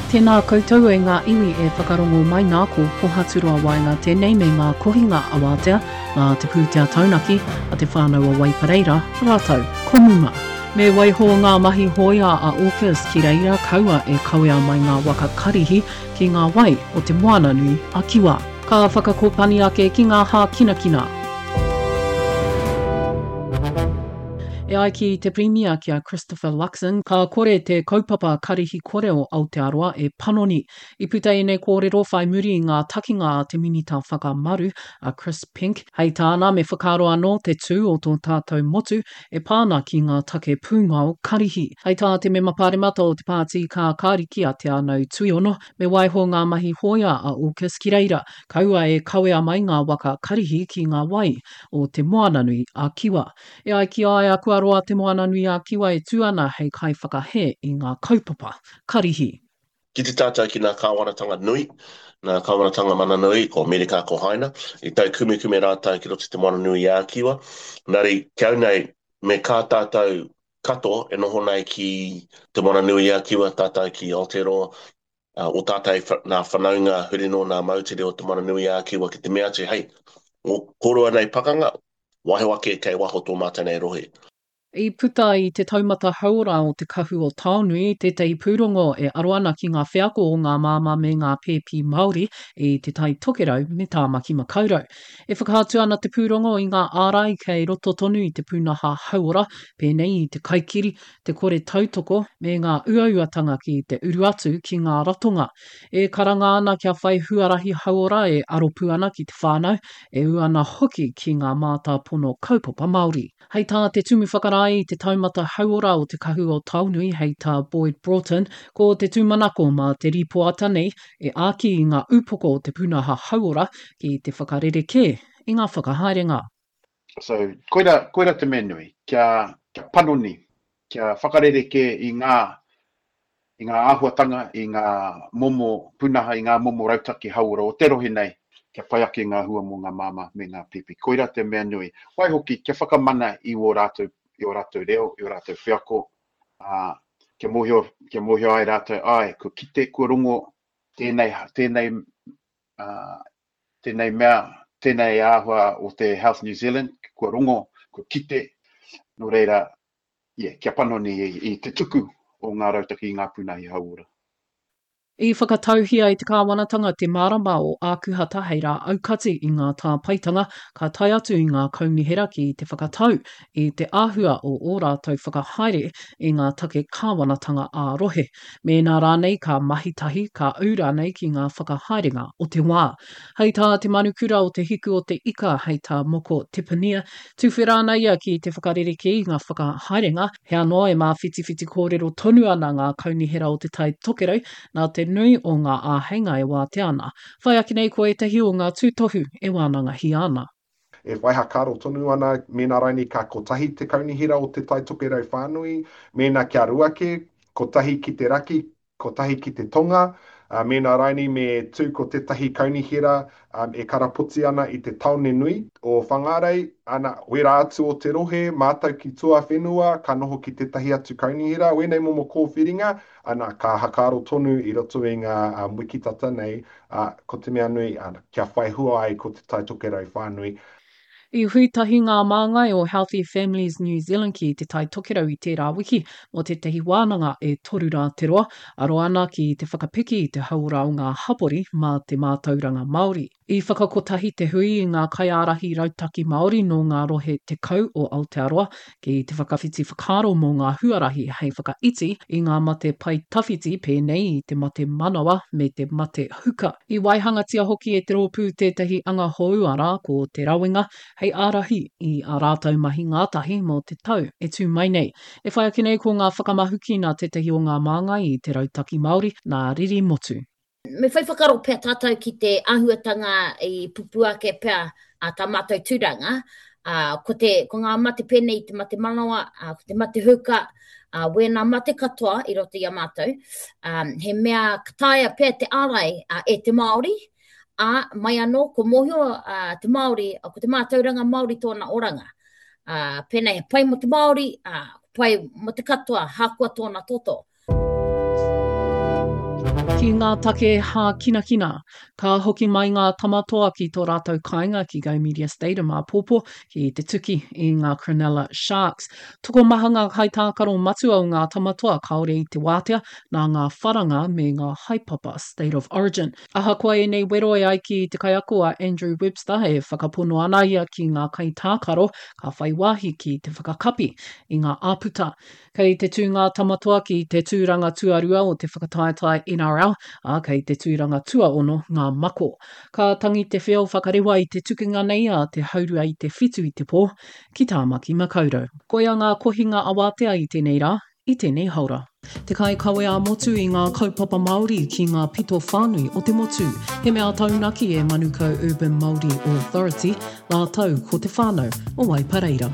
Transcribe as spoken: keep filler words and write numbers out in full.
Tēnā koutou e ngā iwi e whakarongo mai nā ko Pohaturoa Waenga tēnei me ngā kohinga awatea nā te pūtea taunaki a te whānau o Waipareira rātou ko Muma. Me waiho ngā mahi hōia a AUKUS ki reira kaua e kawea mai ngā waka karihi ki ngā wai o te moana nui a Kiwa. Ka whakakopani ake ki ngā hākinakina. E ai ki te Pirimia ki a Christopher Luxon, ka kore te kaupapa karihi kore o Aotearoa e panoni. I puta ēnei kōrero whai muri i ngā takinga a te Minita Whakamaru, a Chris Penk. Hei tāna me whakaaro anō te tū o tō tātou motu e pā ana ki ngā take pūngao karihi. Hei tā te mema pāremata o te Pāti Kākāriki a Te Anau Tuiono, me waiho ngā mahi hōia a AUKUS ki reira, kaua e kawea mai ngā waka karihi ki ngā wai o te Moananui a Kiwa. E ai ki a ia kua roa te Moananui a Kiwa e tū ana hei kaiwhakahē i ngā kaupapa karihi. Ki te tātou ki ngā kāwanatanga nui, ngā kāwanatanga mana nui, ko Amerika, ko Haina, i taukumekume rātou ki roto i te Moananui-a-Kiwa. Engari, ki au nei, me kā tātou katoa e noho nei ki te Moananui-a-Kiwa, tātou ki Aotearoa, o tātou nā whanaunga huri nō nā moutere o te Moananui-a-Kiwa ki te mea atu, hei, o kōrua nei pakanga, waiho ake kei waho tō mātou nei rohe. I puta i te taumata hauora o te Kahu o Taonui tētahi pūrongo e aro ana ki ngā wheako o ngā māmā me ngā pēpi Māori i Te Tai Tokerau me Tāmaki Makaurau. E whakaatu ana te pūrongo i ngā ārai kei roto tonu i te pūnaha hauora, pēnei i te kaikiri, te kore tautoko, me ngā uauatanga ki te uru atu ki ngā ratonga. E karanga ana kia whai huarahi hauora e aropū ana ki te whānau, e ū ana hoki ki ngā mātāpono kaupapa Māori. Hei tā te Tumu Whakarae i te taumata hauora o te Kahu o Taonui hei tā Boyd Broughton, ko te tūmanako mā te rīpoata nei e āki i ngā upoko o te pūnaha hauora ki te whakarerekē i ngā whakahaerenga. So, koira, koira te mea nui, kia, kia panoni, kia whakarerekē i ngā, i ngā āhuatanga, i ngā momo pūnaha, i ngā momo rautaki hauora o te rohe nei, kia pai ake ngā hua mō ngā māmā me ngā pēpi. Koira te mea nui. Waihoki, kia whakamana i ō rātou, i ō rātou reo, i ō rātou wheako, ā, kia mōhio, kia mōhio ai rātou, āe, kua kite, kua rongo tēnei, tēnei, ā, tēnei mea, tēnei āhua o te Health New Zealand, kua rongo, kua kite, nō reira, yeah, kia panoni i, i te tuku o ngā rautaki i ngā pūnahi hauora. I whakatauhia e te kāwanatanga te marama o Ākuhata hei rā aukati i ngā tāpaetanga ka tae atu i ngā kaunihera ki te whakatau i te āhua o ō rātou whakahaere i ngā take kāwanatanga ā-rohe, mēnā rānei ka mahi tahi, ka ū rānei ki ngā whakahaerenga o te wā. Hei tā te manukura o Te Hiku o te Ika, hei tā Moko Tepania, tuwhera ana ia ki te whakarerekē i ngā whakahaerenga, he anō e māwhitiwhiti kōrero tonu ana ngā kaunihera o Te Tai Tokerau nā te nui o ngā āheinga e wātea ana. Whai ake nei ko ētahi o ngā tūtohu e wānangahia ana. E whai hakaaro tonu ana mēnā raini ka kotahi te kaunihera o Te Tai Tokerau whānui, mēnā kia rua kē, kotahi ki te raki, kotahi ki te tonga, ā, mēnā raini me tū ko tētahi kaunihera e karapoti ana i te tāone nui o Whangārei, ana, wērā atu o te rohe, mātau ki tuawhenua, ka noho ki tētahi atu kaunihera, wēnei momo kōwhiringa, ana, ka hakaaro tonu i roto i ngā wiki tata nei, ā, ko te mea nui, ana, kia whai hua ai ko Te Tai Tokerau whānui. I hui tahi ngā māngai o Healthy Families New Zealand ki Te Tai Tokerau i tērā wiki mō tētahi wānanga e toru rā te roa, aro ana ki te whakapiki i te hauora o ngā hapori mā te mātauranga Māori. I whakakotahi te hui i ngā kaiārahi rautaki Māori nō ngā rohe tekau o Aotearoa ki te whakawhiti whakaaro mō ngā huarahi hei whakaiti i ngā mate pae tawhiti pēnei i te mate manawa me te mate huka. I waihangatia hoki e te rōpū tētahi anga hou arā ko Te Rawenga hei ārahi i ā rātou mahi ngātahi mō te tau e tū mai nei. E whai ake nei ko ngā whakamahuki nā tētahi o ngā māngai i te Rautaki Māori, nā Riri Motu. Me whai whakaaro pea tātou ki te āhuatanga i pupū ake pea a tā mātou tūranga, ā, ko te, ko ngā mate pēnei i te mate manawa, ā, ko te mate huka, ā, wēnā mate katoa i roto i a mātou, ā, he mea ka taea pea te ārai ā, e te Māori, ā, mai anō, ko mōhio ā, te Māori, ko te mātauranga Māori tōna oranga. Ā, pēnei he pai mō te Māori, ā, pai mō te katoa, hākoa tōna toto. Ki ngā take hākinakina, ka hoki mai ngā Tama Toa ki tō rātou kāinga ki Go Media Stadium āpōpō ki te tuki i ngā Cronulla Sharks. Tokomaha ngā kaitākaro matua o ngā Tama Toa kāore i te wātea nā ngā wharanga me ngā haepapa State of Origin. Ahakoa ēnei wero e ai ki te kaiako a Andrew Webster e whakapono ana ia ki ngā kaitākaro ka whai wāhi ki te whakakapi i ngā āputa. Kei te tū ngā Tama Toa ki te tūranga tuarua o te whakataetae N R L, ā, kei te tūranga tuaono ngā Mako. Ka tangi te wheo whakarewa i te tukinga nei a te haurua i te whitu i te pō, ki Tāmaki Makaurau. Koia ngā kohinga awatea i tēnei rā, i tēnei haora. Te kaikawe ā-motu i ngā kaupapa Māori ki ngā pito whānui o te motu. He mea taunaki e Manukau Urban Māori Authority, rātou ko te whānau o Waipareira.